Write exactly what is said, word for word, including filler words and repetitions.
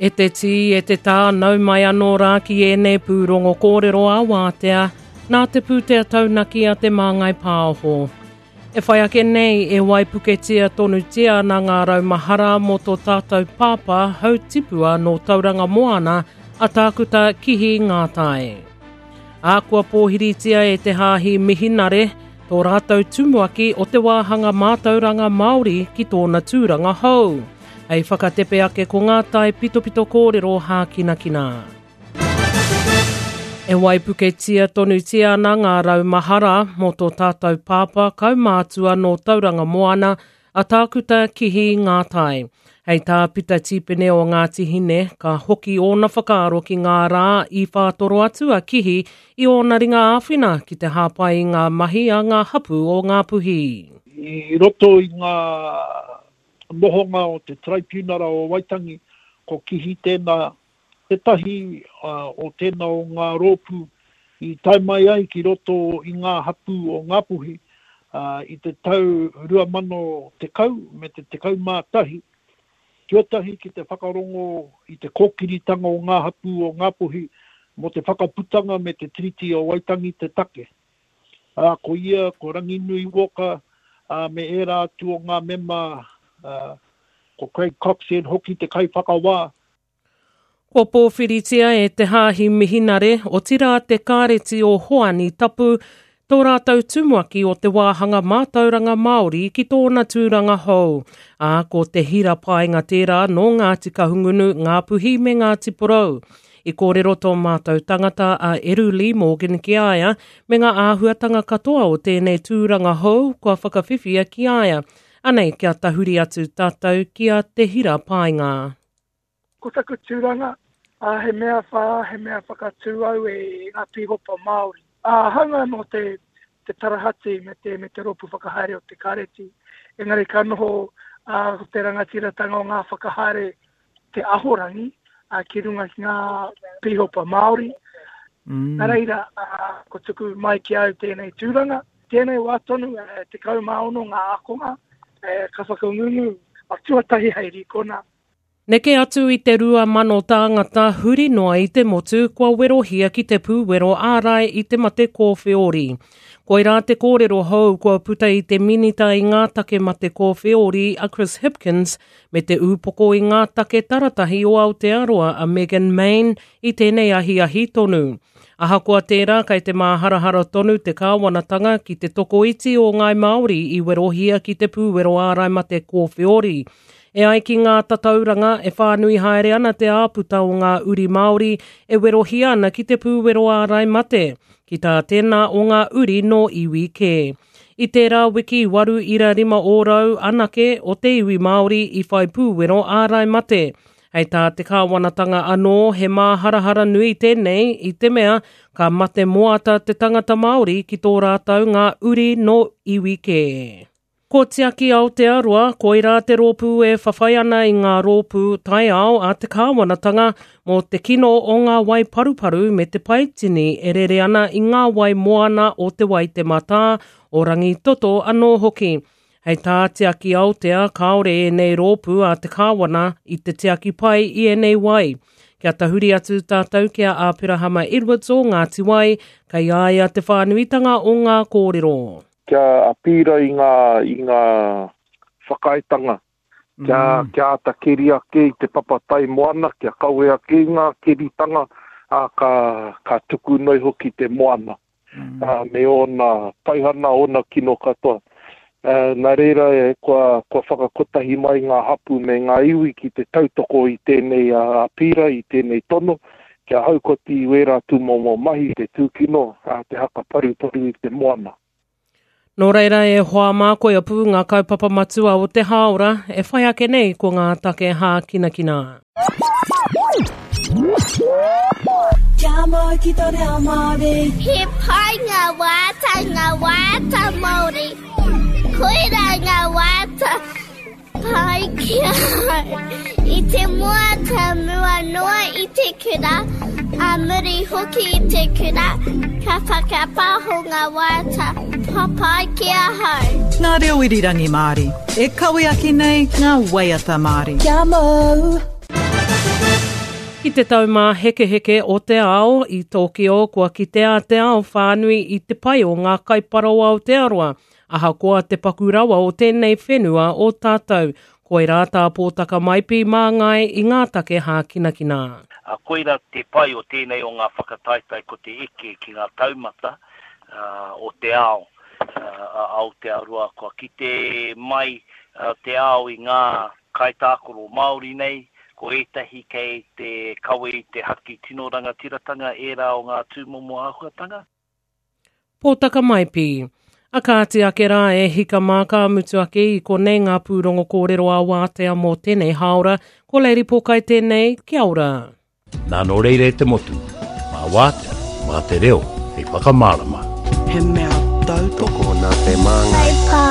E te tī, e te tā, nau mai anō rā ki ēnei pūrongo kōrero a wātea, nā te pūtea taunaki a Te Māngai Pāho. E whai ake nei, e waipuketia tonutia ana ngā raumahara mō tō tātou pāpā hautipua nō Tauranga Moana a Tākuta Kihi Ngātai. Ā, kua pōhiritia e te hāhi Mihinare tō rātou tumuaki o te wāhanga mātauranga Māori ki tōna tūranga hou. Hei whakatepe ake ko ngā tai pitopito kōrero hākinakina. E waipuketia tonutia ana ngā raumahara mō tō tātou pāpā kaumātua nō Tauranga Moana a Tākuta Kihi Ngātai. Hei tā Pita Tīpene o Ngāti Hine, ka hoki ōna whakaaro ki ngā rā i whātoro atu a Kihi i ōna ringa āwhina ki te hāpai i ngā mahi a ngā hapū o Ngāpuhi. I roto i ngā nohonga o te Traipiunara o Waitangi, ko Kihi tēnā, tētahi o tēnā o ngā rōpū i tae mai ai ki roto i ngā hapū o Ngāpuhi i te tau rua mano tekau me te tekau mā tahi, tuatahi ki te whakarongo i te kōkiritanga o ngā hapū o Ngāpuhi mō te whakaputanga me te Tiriti o Waitangi te take. Ā, ko ia, ko Ranginui Walker, ā, me ērā atu o ngā mema, ā, ko Craig Coxhead hoki te kaiwhakawā. Kua pōwhiritia e te hāhi Mihinare, otirā te Kāreti o Hoani Tapu, tō rātou tumuaki o te wāhanga mātauranga Māori ki tōna tūranga hou. Ā, ko te Hira Paenga tērā nō Ngāti Kahungunu, Ngāpuhi me Ngāti Porou. I kōrero tō mātou tangata a Eru Lee Morgan ki a ia me ngā āhuatanga katoa o tēnei tūranga hou kua whakawhiwhia ki a ia. Anei kia tahuri atu tātou ki a Te Hira Paenga. Ko taku tūranga, uh, he mea whā, he mea whakatū au e ngā pīhopa Māori. Uh, hanga nō te, te tarahati me te, me te rōpū whakahaere o te kāreti. Engari ka noho uh, te rangatiratanga o ngā whakahaere te ahorangi uh, ki runga ki ngā pīhopa Māori. Mm. Nā reira, uh, ko tuku mai ki au tēnei tūranga. Tēnei wā tonu, uh, tekau mā ono ngā ākonga, uh, ka whakangungu a tuatahi hei rīkona. Neke atu i te rua mano tāngata huri noa i te motu kua werohia ki te pūwero ārai i te mate kōwheori. Koirā te kōrero hou kua puta i te minita i ngā take mate kōwheori a Chris Hipkins me te ūpoko i ngā take taratahi o Aotearoa a Megan Main i tēnei ahiahi tonu. Ahakoa tērā kei te māharahara tonu te kāwanatanga ki te tokoiti o Ngāi Māori i werohia ki te pūwero ārai mate kōwheori. E ai ki ngā tatauranga e whānui haere ana te āputa o ngā uri Māori e werohia ana ki te pūwero ārai mate, ki tā tēnā o ngā uri nō iwi kē. I tērā wiki waru ira rima ōrau anake o te iwi Māori i whai pūwero ārai mate. Hei tā te kāwanatanga anō he māharahara nui tēnei i te mea ka mate moata te tangata Māori ki tō rātou ngā uri nō iwi kē. Ko Tiaki Aotearoa, koirā te rōpū e whawhai ana i ngā rōpū taiao a te kāwanatanga mō te kino o ngā wai paruparu me te paitini e rere ana i ngā wai moana o te Waitemata, o Rangitoto anō hoki. Hei tā Tiaki Aotea, kāore ēnei rōpū a te kāwana i te tiaki pai i ēnei wai. Kia tahuri atu tātou ki a Āperahama Edwards o Ngāti Wai, kei a ia te whānuitanga o ngā kōrero. Kia apīra i ngā, i ngā whakaaetanga, kia, mm. kia āta keri ake i te papatai moana, kia kawe ake i ngā keritanga, ā, ka, ka tuku noi hoki te moana, mm. ā, me ōna paihana, ōna kino katoa. Ā, nā reira, e, kua, kua whakakotahi mai ngā hapū me ngā iwi ki te tautoko i tēnei apīra, i tēnei tono, kia haukoti i wērā tūmomo mahi te tūkino, ā, te haka paruparu i te moana. Nō reira e hoa mā koia pū ngā kaupapa matua o te hāora e whai ake nei ko ngā take hākinakina. Kia mau ki tō reo Māori. He pai ngā waiata, ngā waiata Māori. Koirā ngā waiata pai ki ahau. I te moata mua noa i te kura, a muri hoki i te kura, ka whakapaho ngā waiata papai ki ahau. Ngā reo irirangi Māori, e kawe ake nei ngā waiata Māori. Kia mau! Ki te taumāhekeheke o te ao i Tokyo, kua kitea te ao whānui i te pai o ngā kaipara o Aotearoa, ahakoa te paku rawa o tēnei whenua o tātou. Koirā tā Pōtaka Maipi māngai i ngā take hākinakina. A koira te pai o tēnei o ngā whakataetae ko te eke ki ngā taumata uh, o te ao uh, Aotearoa. Kua kite mai uh, te ao i ngā kaitākaro Māori nei, ko ētahi kei te kawe i te haki tino rangatiratanga ērā o ngā tūmomo āhuatanga. Pōtaka Maipi. A kāti ake rā e hika mā ka mutu ake i konei ngā pūrongo kōrero a wātea mō tēnei hāora, ko Lady Pōkai tēnei, kia ora. Nā nō reira e te motu, mā wātea, mā te reo, hei whakamārama. He mea tautoko nā te māngai.